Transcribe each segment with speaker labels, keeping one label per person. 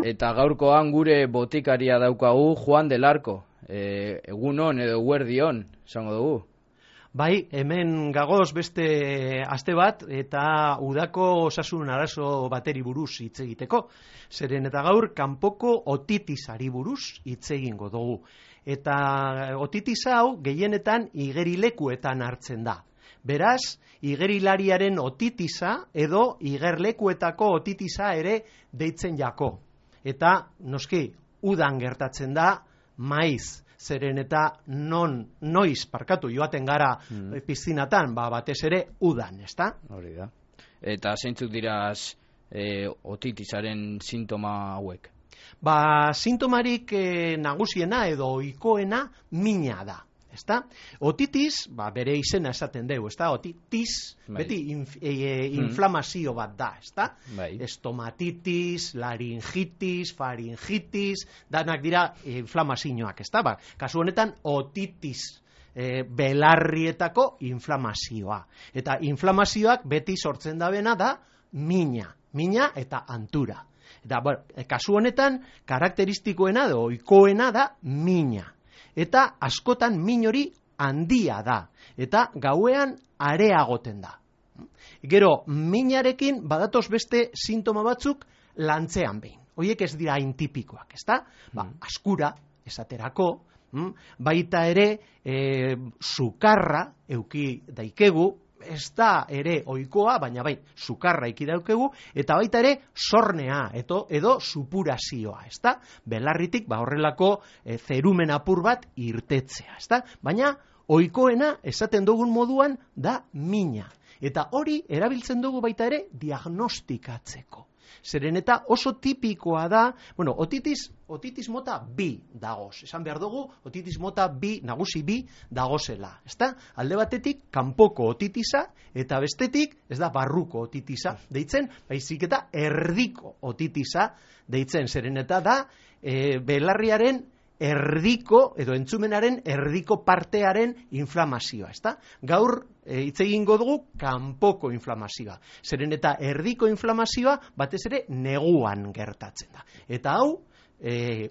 Speaker 1: Eta gaurkoan gure botikaria daukagu Juan del Arco. Egunon edo eguerdion, esango dugu.
Speaker 2: Bai, hemen gagoz beste aste bat eta udako osasun arazo bateri buruz hitz egiteko. Zeren eta gaur kanpoko otitisari buruz hitz egingo dugu. Eta otitis hau gehienetan igerilekuetan hartzen da. Beraz, igerilariaren otitisa edo igerlekuetako otitisa ere deitzen jako. Eta, noski, udan gertatzen da, maiz, zeren eta noiz joaten gara pizzinatan, batez ere udan, ezta?
Speaker 1: Hori da. Eta zeintzuk diraz otitisaren sintoma hauek?
Speaker 2: Sintomarik nagusiena edo ohikoena mina da. Ezta? Otitis, bere izena esaten dugu, ezta? Otitis, beti inflamazio bat da, ezta? Estomatitis, laringitis, faringitis, danak dira inflamazioak, ezta? Kasu honetan, otitis, belarrietako inflamazioa. Eta inflamazioak beti sortzen dabena da mina eta antura. Eta, kasu honetan, karakteristikoena edo ohikoena da mina. Eta askotan min hori handia da, eta gauean areagoten da. Gero, minarekin badatoz beste sintoma batzuk lantzean behin. Horiek ez dira intipikoak, ezta? Askura, esaterako, baita ere sukarra euki daikegu, ez da ere ohikoa, baina bai, sukarra iki daukegu, eta baita ere sornea edo supurazioa, ezta? Belarritik horrelako zerumen apur bat irtetzea, ezta? Baina ohikoena esaten dugun moduan da mina. Eta hori erabiltzen dugu baita ere diagnostikatzeko. Zeren eta oso tipikoa da, otitis mota bi dagoz. Esan behar dugu, otitis mota bi, nagusi bi dagozela. Ezta? Alde batetik, kanpoko otitisa, eta bestetik, ez da, barruko otitisa deitzen, baizik eta erdiko otitisa deitzen. Zeren eta da, belarriaren erdiko, edo entzumenaren erdiko partearen inflamazioa, ezta? Gaur hitz egingo dugu kanpoko inflamazioa. Zeren eta erdiko inflamazioa batez ere neguan gertatzen da. Eta hau,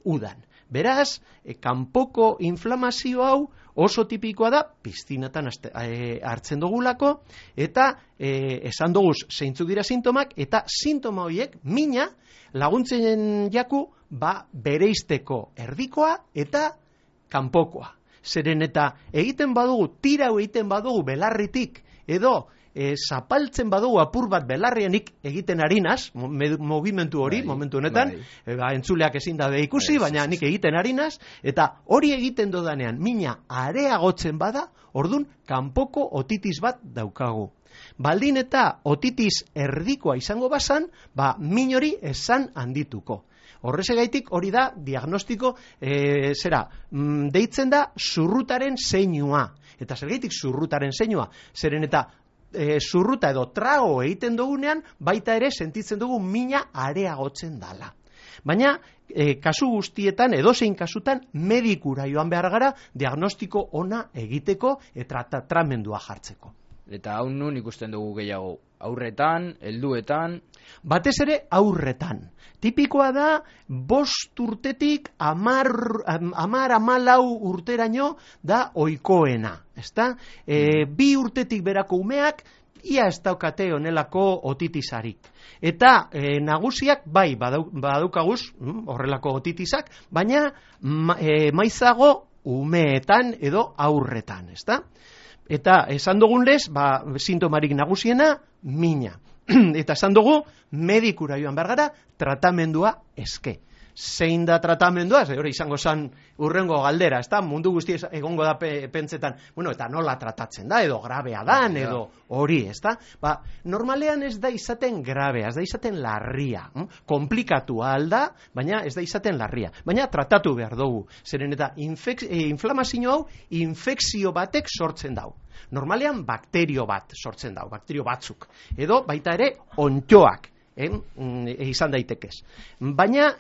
Speaker 2: udan. Beraz, kanpoko inflamazio hau oso tipikoa da, piztinatan hartzen dugulako, eta esan dugu zeintzuk dira sintomak, eta sintoma horiek, mina, laguntzen jaku, bereizteko erdikoa eta kanpokoa. Zeren eta egiten badugu, tirau egiten badugu belarritik, edo zapaltzen badugu apur bat belarrianik egiten harinaz, movimentu hori, momentu honetan, entzuleak ezin dabe ikusi, baina nik egiten harinaz, eta hori egiten dodanean, mina areagotzen bada, ordun kanpoko otitis bat daukagu. Baldin eta otitis erdikoa izango bazan, min hori esan handituko. Horrezegaitik hori da diagnostiko, deitzen da zurrutaren zeinua. Eta zergaitik zurrutaren zeinua? Zeren eta zurruta edo trago egiten dugunean, baita ere sentitzen dugu mina areagotzen dala. Baina, kasu guztietan, edozein kasutan, medikura joan behar gara diagnostiko ona egiteko eta tratamentua jartzeko.
Speaker 1: Eta hau nun ikusten dugu gehiago? Aurretan, helduetan?
Speaker 2: Batez ere aurretan. Tipikoa da, 5 urtetik 10-14 urteraino da ohikoena. Ezta? 2 urtetik berako umeak, ia ez daukate honelako otitisarik. Eta nagusiak bai badaukaguz horrelako otitisak, baina maizago umeetan edo aurretan, ezta? Eta esan dugun lez, sintomarik nagusiena, mina. Eta esan dugu, medikura joan behar gara, tratamendua eske. Zein da tratamendua, hori izango zen urrengo galdera, ezta? Mundu guzti egongo da pentsetan, eta nola tratatzen da, edo grabea dan, edo hori, ezta? Normalean ez da izaten grabea, ez da izaten larria. Komplikatua alda, baina ez da izaten larria. Baina tratatu behar dugu. Zeren eta inflamazio hau, infekzio batek sortzen dau. Normalean bakterio bat sortzen dau, bakterio batzuk. Edo baita ere ontxoak. Izan daitekez. Baina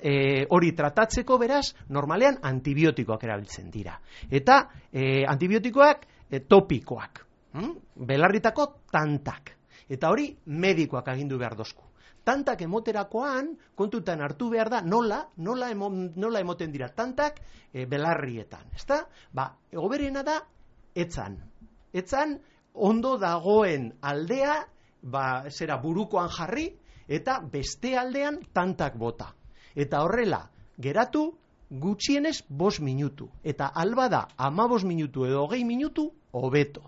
Speaker 2: hori tratatzeko beraz, normalean antibiotikoak erabiltzen dira. Eta antibiotikoak topikoak. Belarritako tantak. Eta hori medikoak agindu behar dozku. Tantak emoterakoan, kontutan hartu behar da, nola emoten dira tantak belarrietan. Ezta? Hoberena da, etzan. Etzan, ondo dagoen aldea, burukoan jarri, eta beste aldean tantak bota. Eta horrela, geratu gutxienez 5 minutu. Eta alba da 15 minutu edo 20 minutu, hobeto.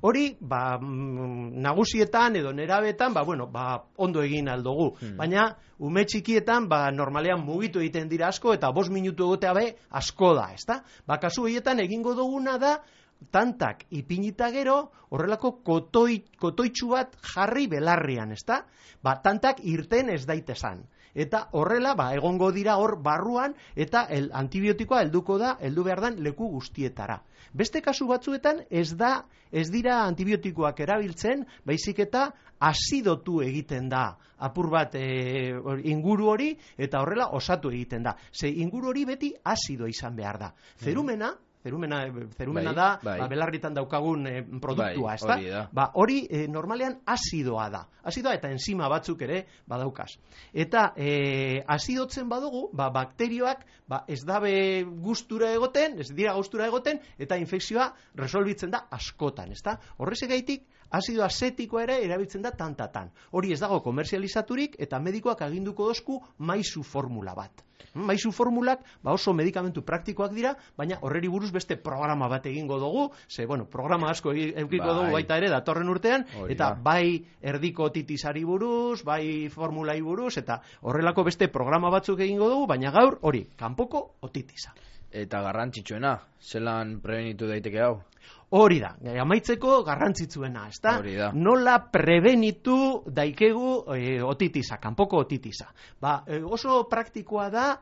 Speaker 2: Hori, nagusietan edo nerabetan, ondo egin aldugu. Baina, ume txikietan, normalean mugitu egiten dira asko, eta 5 minutu egotea asko da, ezta? Kasu horietan egingo duguna da, tantak ipinita gero, horrelako kotoitxu bat jarri belarrian, ezta? Tantak irten ez daitezan. Eta horrela, egongo dira hor barruan, eta antibiotikoa heldu behar dan leku guztietara. Beste kasu batzuetan ez dira antibiotikoak erabiltzen, baizik eta azidotu egiten da apur bat inguru hori, eta horrela osatu egiten da. Ze inguru hori beti azido izan behar da. Zerumena da, belarritan daukagun produktua, ezta? Hori normalean azidoa da. Azidoa eta enzima batzuk ere badaukaz. Eta azidotzen badugu, bakterioak ez dabe gustura egoten, ez dira gustura egoten, eta infekzioa resolbitzen da askotan, ezta? Horrezegaitik, azido azetikoa ere erabiltzen da tantatan. Hori ez dago komerzializaturik, eta medikoak aginduko dozku maizu formula bat. Maizu formulak oso medikamentu praktikoak dira, baina horreri buruz beste programa bat egingo dugu, programa asko eukiko dugu baita ere datorren urtean, eta bai erdiko otitisari buruz, bai formulai buruz, eta horrelako beste programa batzuk egingo dugu, baina gaur hori, kanpoko otitisa.
Speaker 1: Eta garrantzitsuena, zelan prebenitu daiteke hau?
Speaker 2: Hori da, amaitzeko garrantzitsuena, ezta? Nola prebenitu daikegu otitisa, kanpoko otitisa. Oso praktikoa da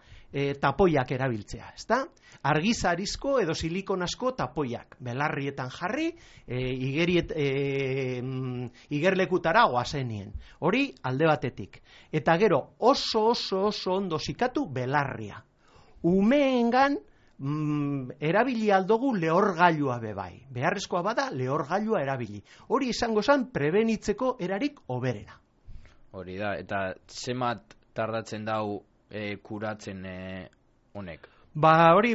Speaker 2: tapoiak erabiltzea, ezta? Argizarizko edo silikonasko tapoiak, belarrietan jarri, igerlekutara goazenien. Hori alde batetik. Eta gero oso ondo zikatu belarria. Umeengan erabili aldugu lehorgailua bebai. Beharrezkoa bada lehorgailua erabili. Hori izango zen prebenitzeko erarik hoberena.
Speaker 1: Hori da, eta zemat tardatzen dau kuratzen honek?
Speaker 2: Hori,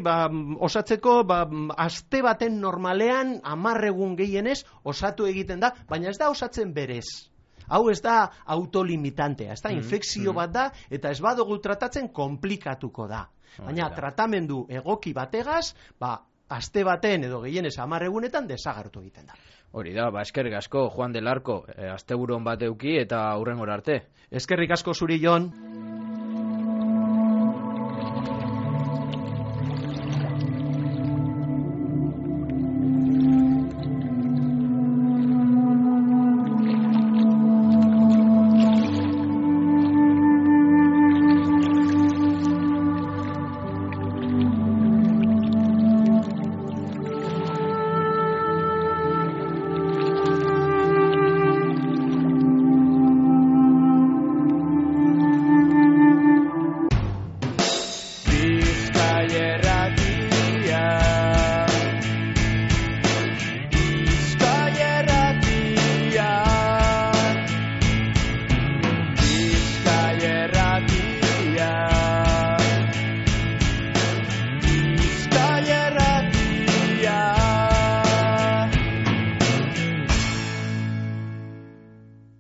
Speaker 2: osatzeko, aste baten normalean 10 egun gehienez osatu egiten da, baina ez da osatzen berez. Hau ez da autolimitantea, ez da infekzio bat da, eta ez badugu tratatzen komplikatuko da. Baina tratamendu egoki bategaz, aste baten edo gehienez 10 egunetan desagertu egiten da.
Speaker 1: Hori da, eskerrik asko, Juan del Arco, asteburon bat euki eta hurrengora arte.
Speaker 2: Eskerrik asko zuri, Jon.